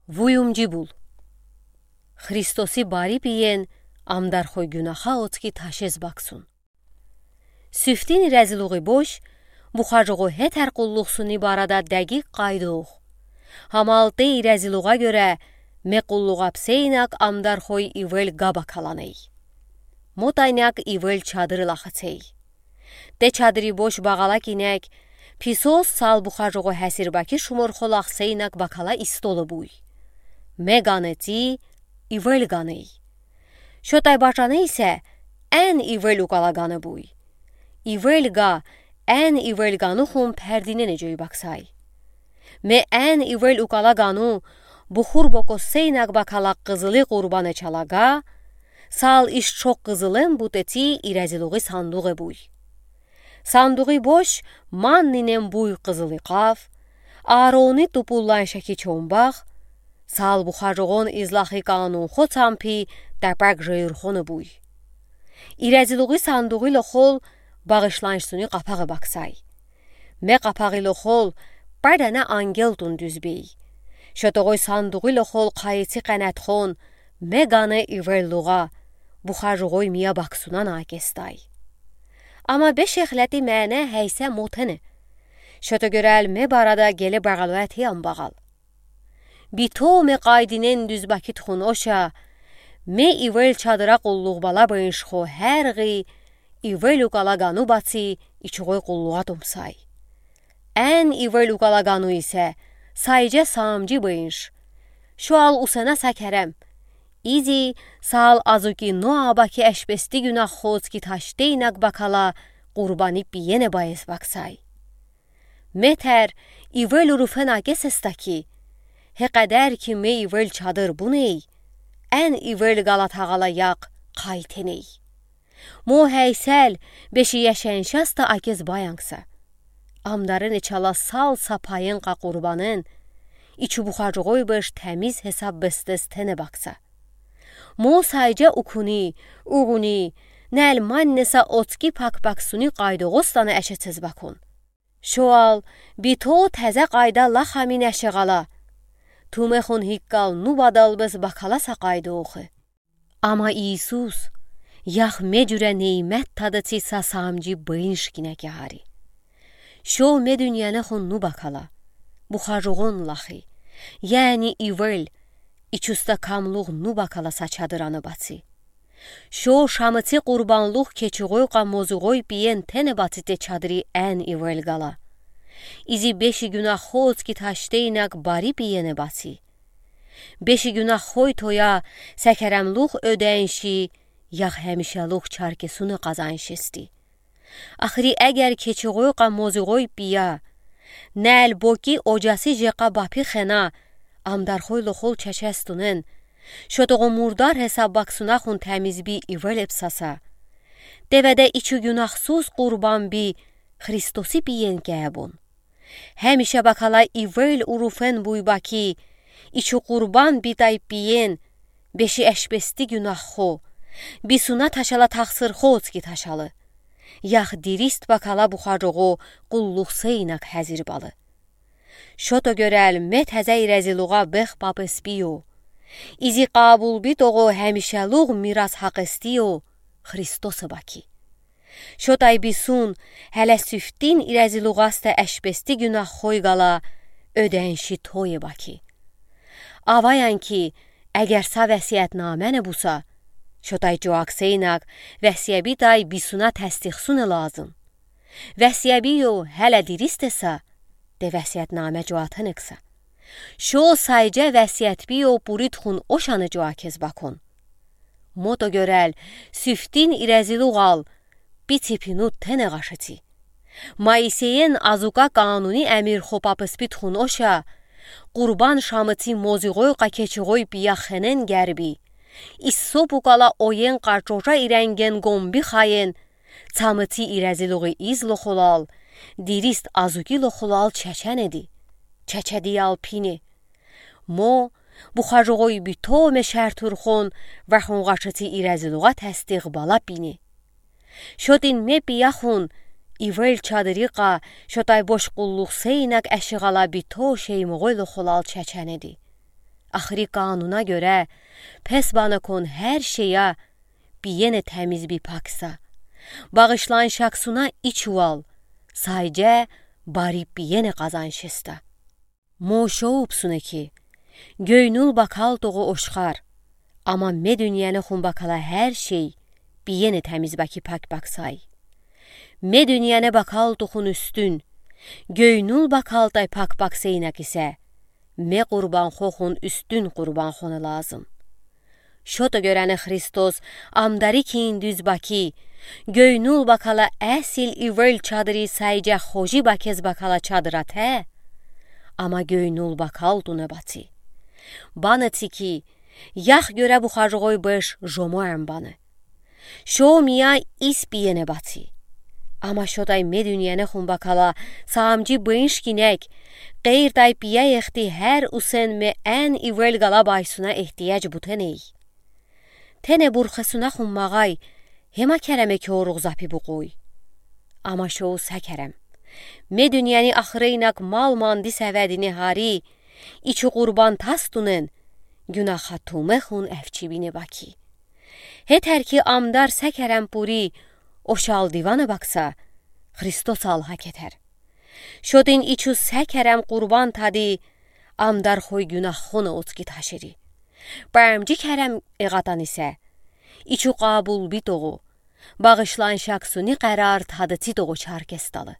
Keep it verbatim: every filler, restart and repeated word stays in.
Вуюмжи бул. Христоси бари пиен амдархой гюнахаа оцки ташез баксун. Сифтин ирезилугъи бош Бухажугъо хетер къуллугъсуни барада дегиг къайдох. Амал те ирезилугъа гёре ме къуллугъа псе инаг амдархой ивел га бакаланей. Мотайнаг ивел чадыр лахацей. Те чадыри бош багала кинег, писос сал Бухажугъо хесир баки шумурхо лахсе инаг бакала истолы буй. Ме ганеци ивел ганей. Шотай бачаны исе эн ивел укала ганы буй. Ивел га эн ивел гану хум пердинене жой баксай. Ме эн ивел укала гану бухур бокоссе инаг бакала къызыли къурбане чала га, сал ишшо къызылен бутеци ирезилугъи сандугъе буй. Сандугъи бош ман нинен буй къызыли къав, Аарони тупуллан шеки чомбах, сал Бухажугъон излахи канун хо цампи тапаг жейрхоны буй. Ирезилугъи сандугъи лохол багышланшсуни къапагъы баксай. Ме къапагъи лохол педене ангел тун дуьзбей. Шотогъой сандугъи лохол къайыци къенетхон ме ганы ивел лугъа, Бухажугъой мия баксуна накестай. Ама бе шехлети мене хейсе мотене. Шото гёрел ме барада геле багалуэти амбагал. Бито ме къайдинен дуьз баки тухун оша, ме ивел чадыра къуллугъ бала быншхо хергъи ивел укала гану баци ичугъой къуллугъа тумсай. Эн ивел укала гану исе сайже самжи бынш. Шоал усена са керем. Изи сал азуки Ноа баки эшпести гюнаххо оцки таште инаг бакала къурбани пиене баез баксай. Ме тер ивел уруфена кесеста ки, хекъедер ки ме ивел чадыр буней, эн ивел гала тагъала якъ къайтеней. Мо хейсел беши яшен шаста акез баянкса. Амдарене чала сал са пайен къа къурбанен ичу Бухажугъой беш темиз хесаб бестез тене бакса. Мо сайже укуни, угъуни, нел маннеса оцки пак баксуни къайдогъостана эшецез бакун. Шоал бито тезе къайда лахамин эшегъала, тумехун хиккал нубадал бес бакала са къайдохы. Ама Иисус ях ме журе неймет тадыци са самжи бынш кинеке гъари. Шо ме дуьньянехун нубакала, Бухажугъон лахи, яни ивел, ичуста камлугъ нубакала са чадыраны баци. Шо шамыци къурбанлугъ кечигъой къа мозугъой пиен тене баци те чадыри эн ивел гала. Изи беши гюнаххо оцки таште инаг бари пиене баци. Беши гюнаххой тоя са керемлугъ оьденши, ях хемишелугъ чаркесуны къазаншести. Ахри эгер кечигъой къа мозугъой пия, нел боки ожаси жекъа бапи хена, амдархой лохол чечес тунен, шотогъо мурдар хесаб баксунахун темиз би ивел эпсаса, деведе ичу гюнахсуз къурбан би Христоси пиен кебун. Хемише бакала ивел уруфен буй баки, ичу къурбан битай пиен, беши эшпести гюнаххо, бисуна ташала тахсырхо оцки ташалы. Ях дирист бакала Бухажугъо къуллугъ се инаг хезир балы. Шото гёрел ме тезе ирезилугъа бех папес бийо. Изи къабул битогъо хемишелугъ мирас хакъестийо Христосы баки. Шотай бисун хеле сифтин ирезилугъасте эшпести гюнаххой гала оьденши тое баки. Аваян ки, эгер са весиетнаме не буса, шотай жуаксе инаг весиеби тай бисуна тестихсуне лазым. Весиеби ё хеле диристеса, де весиетнаме жуатенекса. Шо сайже весиетби ё пуритхун ошаны жуакез бакун. Мото гёрел сифтин ирезилугъал пици пину тенегъашеци. Моисеен азука кануни эмир хопапыс питхун оша, къурбан шамыци мозигъой къа кечигъой пияхенен герби. Иссо пукала оен къа чоча иренген гомби хайен, цамыци ирезилугъи из лохолал, дирист азуки лохолал чеченеди. Чечедиял пине. Мо, бухажугъой битоме шертурхон, вахунгъашыци ирезилугъа тестиғ бала пине. Шотин ме пияхун, ивел чадырикъа, шотай бош къуллуғ сейнак эшиғала бито шеймуғой лохолал чеченеди. Axri qanuna görə, pes banıkon hər şeyə biyənə təmiz bi paksa, bağışlayış aksuna iç uval, saycə bari biyənə qazanış esta. Mo şoupsunə ki, göynul bakaltuğu oşxar, amma me dünyənəxun bakala hər şey biyənə təmiz baki pak paksay. Me dünyənə bakaltuxun üstün, göynul bakaltay pak pakseynəkisə, me qurbanxoxun üstün qurbanxonə lazım. Şoto görəni Xristos amdari kiyin düz baki, göynul bakala əsil ivel çadıri saycə xoji bakez bakala çadır atə, amma göynul bakaltunə bati. Banıti ki, yax görə buxacığoy bış jomoən banı. Şo miyə is biyənə bati. Amma şotay me dünyənəxun bakala, samcı bınş kinək, qeyrtay biyəy exti hər usen me ən ivel qala baysuna ehtiyac butənəy. Tenə burxəsunəxun mağay, hemə kərəmə ki oruğ zapi buquy. Amma şou sə kərəm. Me dünyəni axıreynək mal mandi səvədinə hari, içu qurban tastunən, günaxa tumexun əvçibinə baki. Hetər ki amdar sə kərəm puri, oşal divanə baksa, Xristos alha ketər. Şotin içu sə kərəm qurban tadi, amdar xoy günaxonə otki taşıri. Bə əmci kərəm eğatan isə, içu qabul bitoğu, bağışlayış aksuni qərar tadıti toğu çarkestalı.